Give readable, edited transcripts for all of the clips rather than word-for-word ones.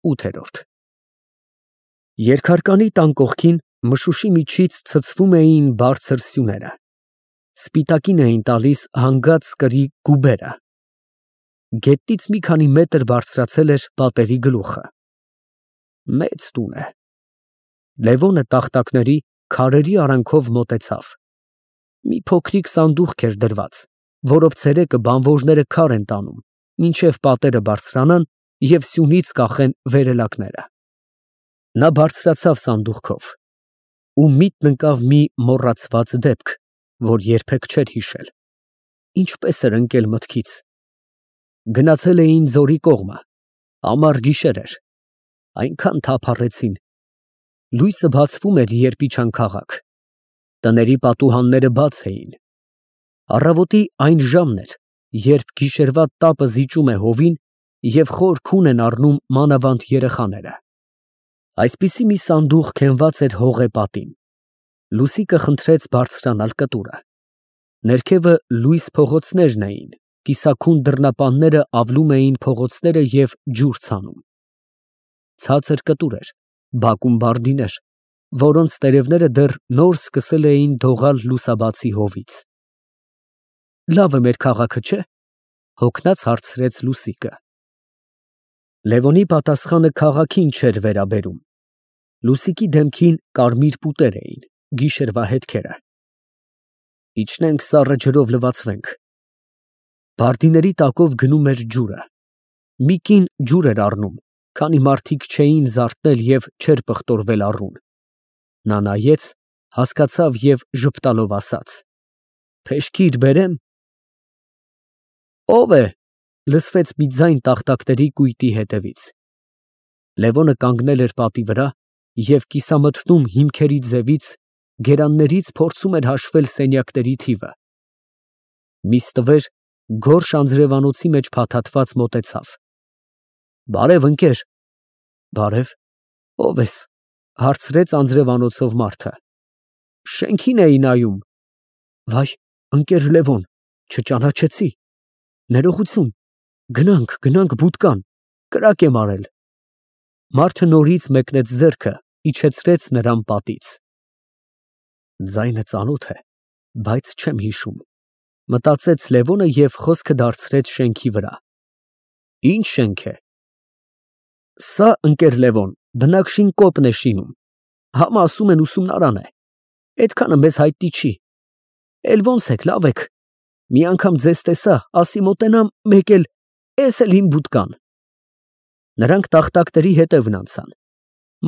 8-րդ Երկհարկանի տան կողքին մշուշի միջից ցցվում էին բարձր սյուները, սպիտակին էին տալիս հանգած կրի գուբերը, գետնից մի քանի մետր բարձրացել էր պատերի գլուխը։ Մեծ տուն է։ Լևոնը տախտակների, քարերի արանքով մոտեցավ։ Մի փոքրիկ սանդուղք էր դրված, որով ցերեկը բանվորները քար են տանում, մինչև պատերը բարձրանան և սյունից կախեն վերելակները։ Նա բարձրացավ սանդուղքով ու միտն ընկավ մի մոռացված դեպք, որ երբեք չէր հիշել։ Ինչպես էր ընկել մտքից։ Գնացել էին ձորի կողմը, ամառ գիշեր էր, այնքան թափառեցին։ Լույսը բացվում էր, երբ իջան քաղաք։ Տների պատուհանները բաց էին։ Առավոտի այն ժամն էր, երբ գիշերվա տապը զիջում է հովին և խոր քուն են առնում մանավանդ երեխաները։ Այսպիսի մի սանդուղք հենված էր հողե պատին։ Լուսիկը խնդրեց բարձրանալ կտուրը։ Ներքևը լույս փողոցներն էին, կիսաքուն դռնապանները ավլում էին փողոցները և ջուր ցանում։ Ցածր կտուր էր, բակում բարդիներ, որոնց տերևները դեռ նոր սկսել էին դողալ լուսաբացի հովից։ Լավ է մեր քաղաքը, չէ՞, հոգնած հարցրեց Լուսիկը։ Լևոնի պատասխանը քաղաքին չէր վերաբերում։ Լուսիկի դեմքին կարմիր պուտեր էին, գիշերվա հետքերը։ Իջնենք սառը ջրով լվացվենք։ Բարդիների տակով գնում էր ջուրը։ Մի կին ջուր էր առնում, քանի մարդիկ չէին զարթնել և չէր պղտորվել առուն։ Նա նայեց, հասկացավ և ժպտալով ասաց. «Փեշքիր բերե՞մ»։ «Ո՞վ է» լսվեց մի ձայն տախտակների կույտի հետևից։ Լևոնը կանգնել էր պատի վրա և կիսամթնում հիմքերի ձևից, գերաններից փորձում էր հաշվել սենյակների թիվը։ Մի ստվեր գորշ անձրևանոցի մեջ փաթաթված մոտեցավ։ «Բարև, ընկեր»։ «Բարև, ո՞վ ես» հարցրեց անձրևանոցով մարդը։ «Շենքին էի նայում»։ «Վայ, ընկեր Լևոն, չճանաչեցի։ Ներողություն, գնանք բուդկան, կրակ եմ արել»։ Մարդը նորից մեկնեց ձեռքը, իջեցրեց նրան պատից։ Ձայնը ծանոթ է, բայց չեմ հիշում, մտածեց Լևոնը և խոսքը դարձրեց շենքի վրա։ Ինչ շենք է։ Սա, ընկեր Լևոն, բնակշին կոպն է շինում, համը ասում են ուսումնարան է, այդքանը մեզ հայտնի չի։ Էլ ոնց եք, լավ եք։ Մի անգամ ձեզ տեսա, ասի մոտենամ, մեկ էլ, էս էլ իմ բուդկան։ Նրանք տախտակների հետևն անցան։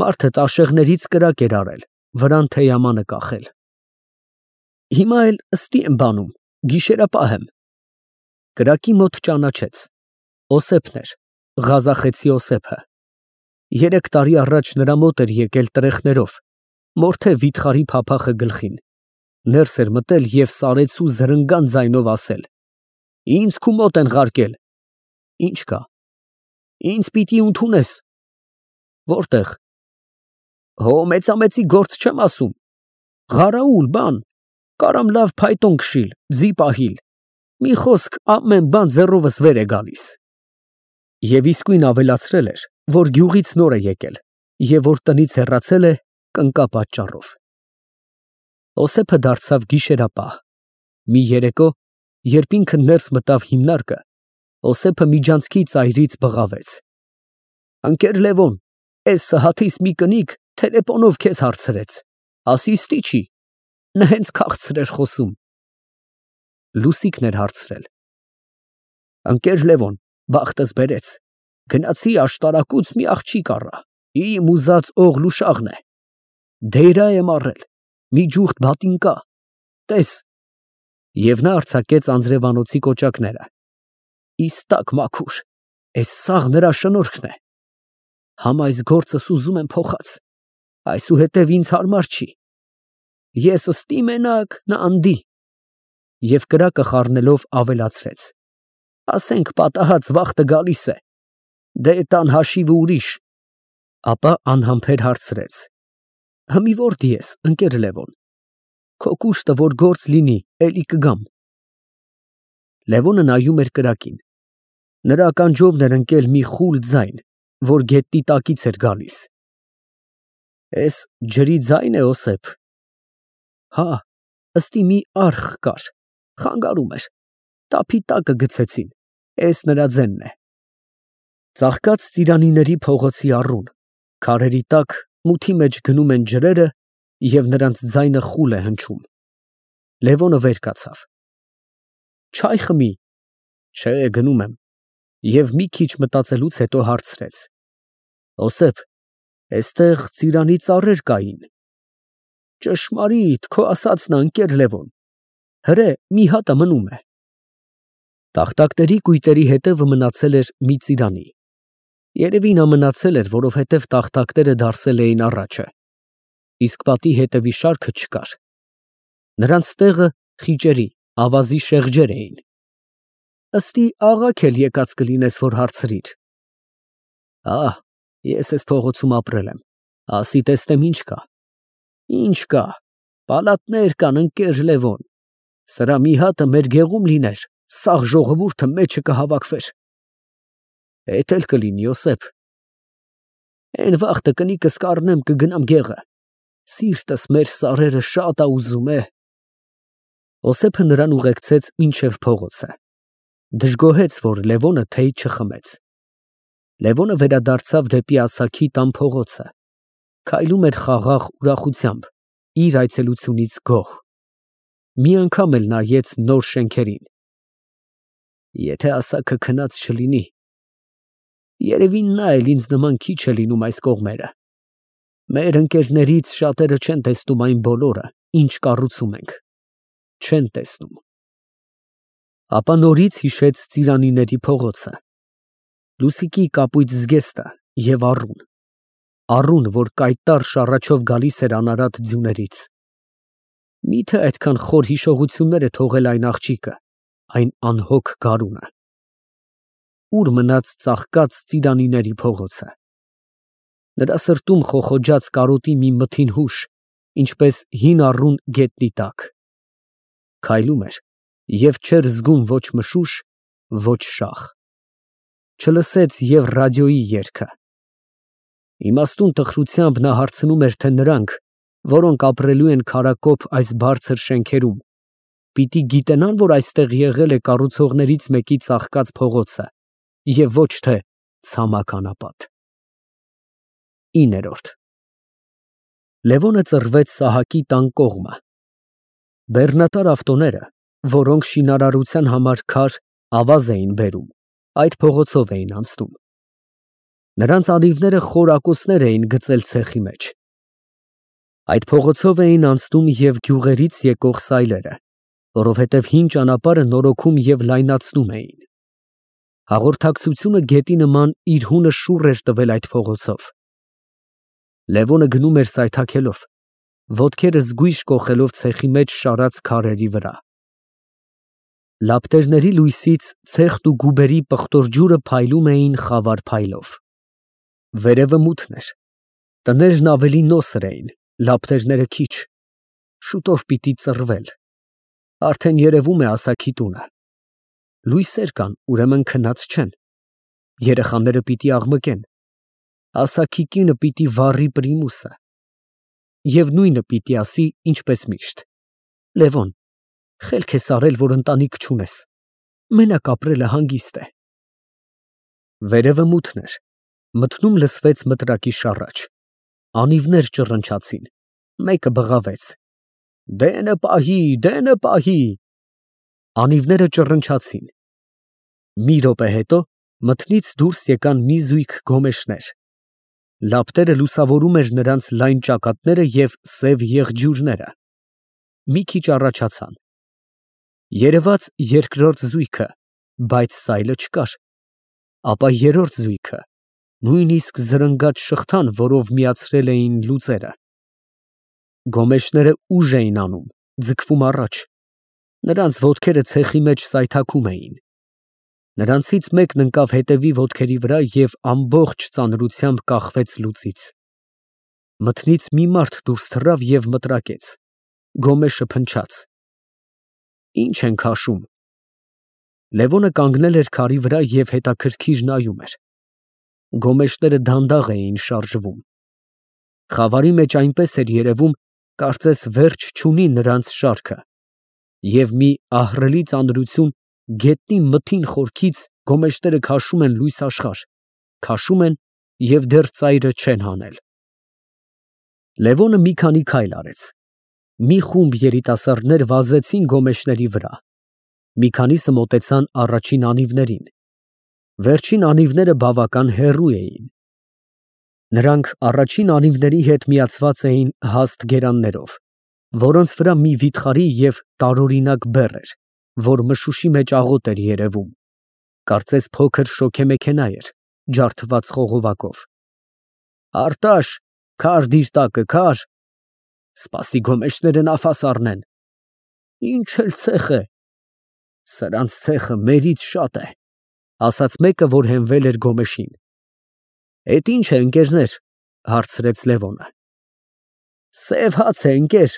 Մարդը տաշեղներից կրակ էր արել, վրան թեյամանը կախել։ Հիմա էլ ըստի եմ բանում, գիշերապահ եմ։ Կրակի մոտ ճանաչեց։ Օսեփն էր, Ղազախեցի Օսեփը։ 3 տարի առաջ նրա մոտ էր եկել տրեխներով, մորթե վիթխարի փափախը գլխին, ներս էր մտել և սարեցու զրնգան ձայնով ասել. «Ինձ քու մոտ են ղարկել»։ Ինչ կա։ Ինձ պիտի ընդունես։ Որտեղ։ Հո մեծամեծի գործ չեմ ասում։ Ղարաուլ բան, կարամ լավ փայտոն քշիլ, ձի պահիլ։ Մի խոսք, ամեն բան ձեռովս վեր է գալիս։ Եվ իսկույն ավելացրել էր, որ գյուղից նոր է եկել և որ տնից հեռացել է կնկա պատճառով։ Օսեփը դարձավ գիշերապահ։ Մի երեկո, երբ ինքը ներս մտավ հիմնարկը, Օսեփը միջանցքի ծայրից բղավեց. «Ընկեր Լևոն, էս Սհաթիս մի կնիկ թելեֆոնով քեզ հարցրեց, ասի ստի չի, նա հենց քաղցր էր խոսում»։ Լուսիկն էր հարցրել. «Ընկեր Լևոն, բախտս բերեց, գնացի աշտարակուց մի աղջիկ առա, իմ ուզած օղլուշաղն է, դեյրա եմ առել, մի ջուղթ բատինկա, տես»։ Եվ նա արձակեց անձրևանոցի կոճակները։ Իստակ մաքուր, էս սաղ նրա շնորհքն է։ Համ այս գործս ուզում եմ փոխած, այսուհետև ինձ հարմար չի։ Ես ըստի մենակ, նա անդի։ Եվ կրակը խառնելով ավելացրեց. ասենք պատահած վախտը գալիս է, դե տան հաշիվը ուրիշ։ Ապա անհամբեր հարցրեց. հմի որտի ես, ընկեր Լևոն։ Քո կուշտը որ գործ լինի, էլի կգամ։ Լևոնը նայում էր կրակին։ Նրա ականջովն էր ընկել մի խուլ ձայն, որ գետնի տակից էր գալիս։ Էս ջրի ձայն է, Օսեփ։ Հա, ըստի մի արխ կար, խանգարում էր, տափի տակը գցեցին, էս նրա ձենն է։ Ծաղկած ծիրանիների փողոցի առուն, քարերի տակ մութի մեջ գնում են ջրերը և նրանց ձայնը խուլ է հնչում։ Լևոնը վեր կացավ։ Չայ խմի։ Չէ, գնում եմ։ Եվ մի քիչ մտածելուց հետո հարցրեց. Օսեփ, էստեղ ծիրանի ծառեր կային։ Ճշմարիտ, քո ասածն ա, ընկեր Լևոն։ Հրե, մի հատը մնում է։ Տախտակների կույտերի հետևը մնացել էր մի ծիրանի։ Երևի նա մնացել էր, որովհետև տախտակները դարսել էին առաջը, իսկ պատի հետևի շարքը չկար։ Նրանց տեղը խիճերի, ավազի շեղջեր էին։ Ըստի աղաք էլ եկած կլինես, որ հարցրիր։ Ահ, ես էս փողոցում ապրել եմ, ասի տեսնեմ ինչ կա։ Ինչ կա, պալատներ կան, ընկեր Լևոն։ Սրա մի հատը մեր գեղում լիներ, սաղ ժողովուրդը մեջը կհավաքվեր։ Էդ էլ կլինի, Օսեփ։ Էն վաղտը կնիկս կառնեմ, կգնամ գեղը։ Սիրտս մեր սարերը շատ ա ուզում է։ Օսեփը նրան ուղեկցեց մինչև փողոցը։ Դժգոհեց, որ Լևոնը թեյ չխմեց։ Լևոնը վերադարձավ դեպի ասաքի տան փողոցը, քայլում էր խաղաղ ուրախությամբ, իր այցելությունից գոհ։ Մի անգամ էլ նայեց նոր շենքերին։ Եթե ասաքը քնած չլինի, երևի նա էլ ինձ նման քիչ է լինում այս կողմերը։ Մեր ընկերներից շատերը չեն տեսնում այն բոլորը, ինչ կառուցում ենք։ Չեն տեսնում։ Ապա նորից հիշեց ծիրանիների փողոցը, Լուսիկի կապույտ զգեստը և առուն։ Առուն, որ կայտառ շառաչով գալիս էր անարատ ձյուներից։ Միթե այդքան խոր հիշողություններ է թողել այն աղջիկը, այն անհոգ գարունը։ Ուր մնաց ծաղկած ծիրանիների փողոցը։ Նրա սրտում խոխոջաց կարոտի մի մթին հուշ, ինչպես հին առուն գետնի տակ։ Քայլում էր և չէր զգում ոչ մշուշ, ոչ շաղ։ Չլսեց և ռադիոյի երգը։ Իմաստուն տխրությամբ նա հարցնում էր, թե նրանք, որոնք ապրելու են քարակոպ այս բարձր շենքերում, պիտի գիտենան, որ այստեղ եղել է կառուցողներից մեկի ծաղկած փողոցը և ոչ թե ցամաք անապատ։ 9 Լևոնը ծռվեց Սահակի տան կողմը։ Բեռնատար ավտոները, որոնք շինարարության համար քար, ավազ էին բերում, այդ փողոցով էին անցնում։ Նրանց անիվները խոր ակոսներ էին գծել ցեխի մեջ։ Այդ փողոցով էին անցնում և գյուղերից եկող սայլերը, որովհետև հին ճանապարհը նորոգում և լայնացնում էին։ Հաղորդակցությունը գետի նման իր հունը շուռ էր տվել այդ փողոցով։ Լևոնը գնում էր սայթաքելով, ոտքերը զգույշ կոխելով ցեխի մեջ շարած քարերի վրա։ Լապտերների լույսից ցեխն ու գուբերի պղտոր ջուրը փայլում էին խավար փայլով։ Վերևը մութն էր, տներն ավելի նոսր էին, լապտերները քիչ, շուտով պիտի ծռվել։ Արդեն երևում է ասաքի տունը։ Լույսեր կան, ուրեմն քնած չեն։ Երեխաները պիտի աղմկեն։ Ասաքի կինը պիտի վառի պրիմուսը։ Եվ նույնը պիտի ասի, ինչպես միշտ. Լևոն, խելք ես արել, որ ընտանիք չունես։ Մենակ ապրելը հանգիստ է։ Վերևը մութն էր, մթնում լսվեց մտրակի շառաչ։ Անիվներ ճռնչացին, մեկը բղավեց. Դենը պահի, դենը պահի։ Անիվները ճռնչացին։ Մի րոպե հետո մթնից դուրս եկան մի զույգ գոմեշներ։ Լապտերը լուսավորում էր նրանց լայն ճակատները և սև եղջյուրները։ Մի քիչ առաջացան։ Երևաց երկրորդ զույգը, բայց սայլը չկար։ Ապա երրորդ զույգը, նույնիսկ զրնգաց շղթան, որով միացրել էին լուծերը։ Գոմեշները ուժ էին անում, ձգվում առաջ։ Նրանց ոտքերը ցեխի մեջ սայթաքում էին։ Նրանցից մեկն ընկավ հետևի ոտքերի վրա և ամբողջ ծանրությամբ կախվեց լուծից։ Մթնից մի մարդ դուրս թռավ և մտրակեց։ Գոմեշը փնչաց։ Ի՞նչ են քաշում։ Լևոնը կանգնել էր քարի վրա և հետաքրքիր նայում էր։ Գոմեշները դանդաղ էին շարժվում։ Խավարի մեջ այնպես էր երևում, կարծես վերջ չունի նրանց շարքը, և մի ահռելի ծանրություն գետնի մթին խորքից գոմեշները քաշում են լույս աշխարհ, քաշում են և դեռ ծայրը չեն հանել։ Լևոնը մի քանի քայլ արեց։ Մի խումբ երիտասարդներ վազեցին գոմեշների վրա։ Մի քանիսը մոտեցան առաջին անիվներին։ Վերջին անիվները բավական հեռու էին։ Նրանք առաջին անիվների հետ միացված էին հաստ գերաններով, որոնց վրա մի վիթխարի և տարօրինակ բեռ էր, որ մշուշի մեջ աղոտ էր երևում, կարծես փոքր շոգեմեքենա էր, ջարդված խողովակով։ Արտաշ, քար դիր տակը, քար, սպասի գոմեշները նավաս առնեն։ Ինչ էլ ցեխ է, սրանց ցեխը մերից շատ է, ասաց մեկը, որ հենվել էր գոմեշին։ Էդ ինչ է, ընկերներ, հարցրեց Լևոնը։ Սև հաց է, ընկեր,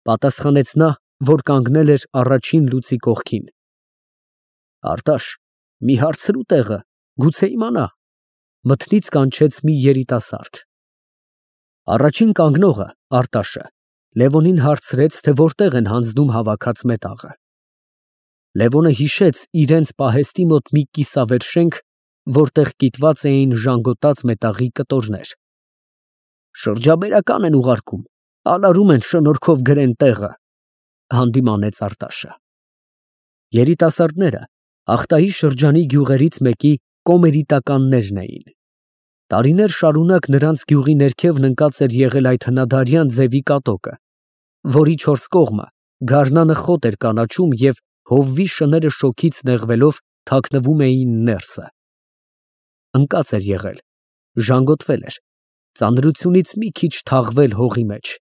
պատասխանեց նա, որ կանգնել էր առաջին լուծի կողքին։ Արտաշ, մի հարցրու տեղը, գուցե իմանա, մթնից կանչեց մի երիտասարդ։ Առաջին կանգնողը, Արտաշը, Լևոնին հարցրեց, թե որտեղ են հանձնում հավաքած մետաղը։ Լևոնը հիշեց իրենց պահեստի մոտ մի կիսավեր շենք, որտեղ կիտված էին ժանգոտած մետաղի կտորներ։ Շրջաբերական են ուղարկում, անարում են շնորհքով գրեն տեղը, հանդիմանեց Արտաշը։ Երիտասարդները Ախտայի շրջանի գյուղերից մեկի կոմերիտականներն էին։ Տարիներ շարունակ նրանց գյուղի ներքևն ընկած էր եղել այդ հնադարյան ձևի կատակը, որի չորս կողմը գարնանը խոտ էր կանաչում և հովվի շները շոգից նեղվելով թաքնվում էին ներսը։ Ընկած էր եղել, ժանգոտվել էր, ծանրությունից մի քիչ թաղվել հողի մեջ։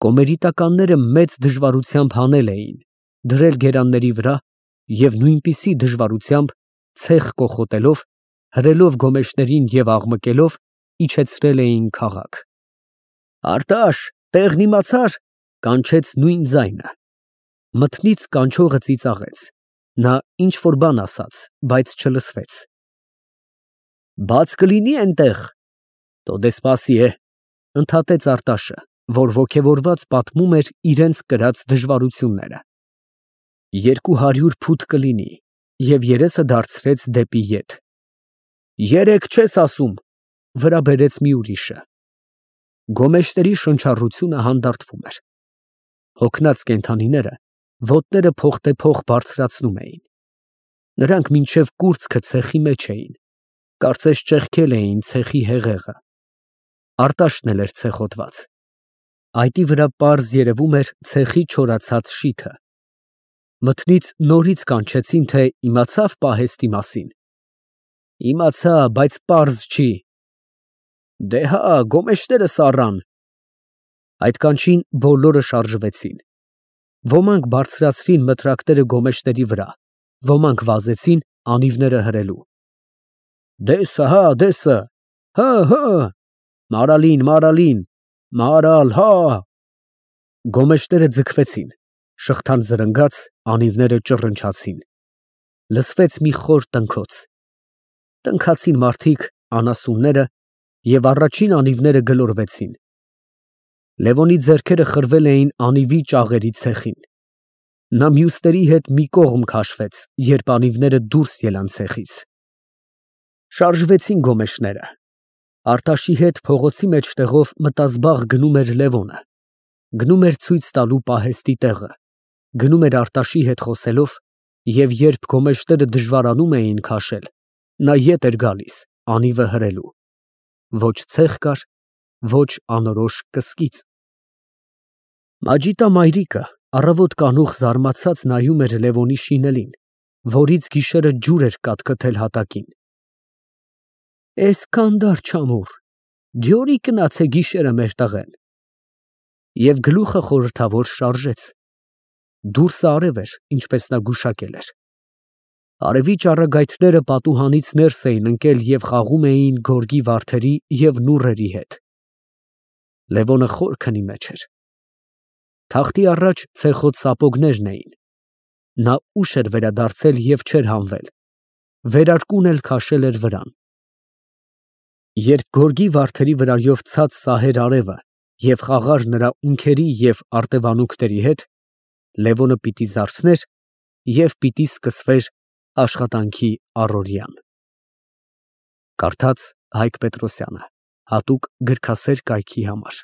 Կոմերիտականները մեծ դժվարությամբ հանել էին, դրել գերանների վրա և նույնպիսի դժվարությամբ ցեխ կոխոտելով, հրելով գոմեշներին և աղմկելով, իջեցրել էին քաղաք։ Արտաշ, տեղն իմացա՞ր, կանչեց նույն ձայնը։ Մթնից կանչողը ծիծաղեց։ Նա ինչ֊որ բան ասաց, բայց չլսվեց։ Բաց կլինի էնտեղ։ Տո դե սպասի է, ընդհատեց Արտաշը, որ ոգևորված պատմում էր իրենց կրած դժվարությունները։ 200 փութ կլինի, և երեսը դարձրեց դեպի ետ։ 3 չես ասում, վրա բերեց մի ուրիշը։ Գոմեշների շնչառությունը հանդարտվում էր։ Հոգնած կենդանիները ոտները փոխտեպոխ բարձրացնում էին։ Նրանք մինչև կուրծքը ցեխի մեջ էին, կարծես ճեղքել էին ցեխի հեղեղը։ Արտաշն էլ էր ցեխոտված։ Այտի վրա պարզ երևում էր ցեխի չորացած շիթը։ Մթնից նորից կանչեցին, թե իմացավ պահեստի մասին։ Իմացա, բայց պարզ չի։ Դե հա, գոմեշները սառան։ Այդ կանչին բոլորը շարժվեցին։ Ոմանք բարձրացրին մտրակները գոմեշների վրա, ոմանք վազեցին անիվները հրելու։ Դեսը, հա, դեսը, հա, մարալին, մարալին, մարալ, հա։ Գոմեշները ձգվեցին, շղթան զրնգաց, անիվները ճռնչացին։ Լսվեց մի խոր տնքոց։ Տնքացին մարդիկ, անասունները, և առաջին անիվները գլորվեցին։ Լևոնի ձեռքերը խրվել էին անիվի ճաղերի ցեխին։ Նա մյուսների հետ մի կողմ քաշվեց, երբ անիվները դուրս ելան ցեխից։ Շարժվեցին գոմեշները։ Արտաշի հետ փողոցի մեջտեղով մտազբաղ գնում էր Լևոնը։ Գնում էր ցույց տալու պահեստի տեղը, գնում էր Արտաշի հետ խոսելով, և երբ գոմեշները դժվարանում էին քաշել, նա ետ էր գալիս, անիվը հրելու։ Ոչ ցեխ կար, ոչ անորոշ կսկիծ։ Մաջիտա մայրիկը առավոտ կանուխ զարմացած նայում էր Լևոնի շինելին, որից գիշերը ջուր էր կատկտել հատակին։ Էսքան դար չամուռ, դյորի կնացե գիշերը մեր տղեն։ Եվ գլուխը խորհրդավոր շարժեց։ Դուրսը արև էր, ինչպես նա գուշակել էր։ Արևի ճառագայթները պատուհանից ներս էին ընկել և խաղում էին գորգի վարդերի և նուռերի հետ։ Լևոնը խոր քնի մեջ էր։ Թախտի առաջ ցեխոտ սապոգներն էին։ Նա ուշ էր վերադարձել և չէր հանվել։ Վերարկուն էլ քաշել էր վրան։ Երբ գորգի վարդերի վրայով ցած սահեր արևը և խաղար նրա ունքերի և արտևանունքների հետ, Լևոնը պիտի զարթներ և պիտի սկսվեր աշխատանքի առօրյան։ Կարդաց Հայկ Պետրոսյանը, հատուկ գրքասեր կայքի համար։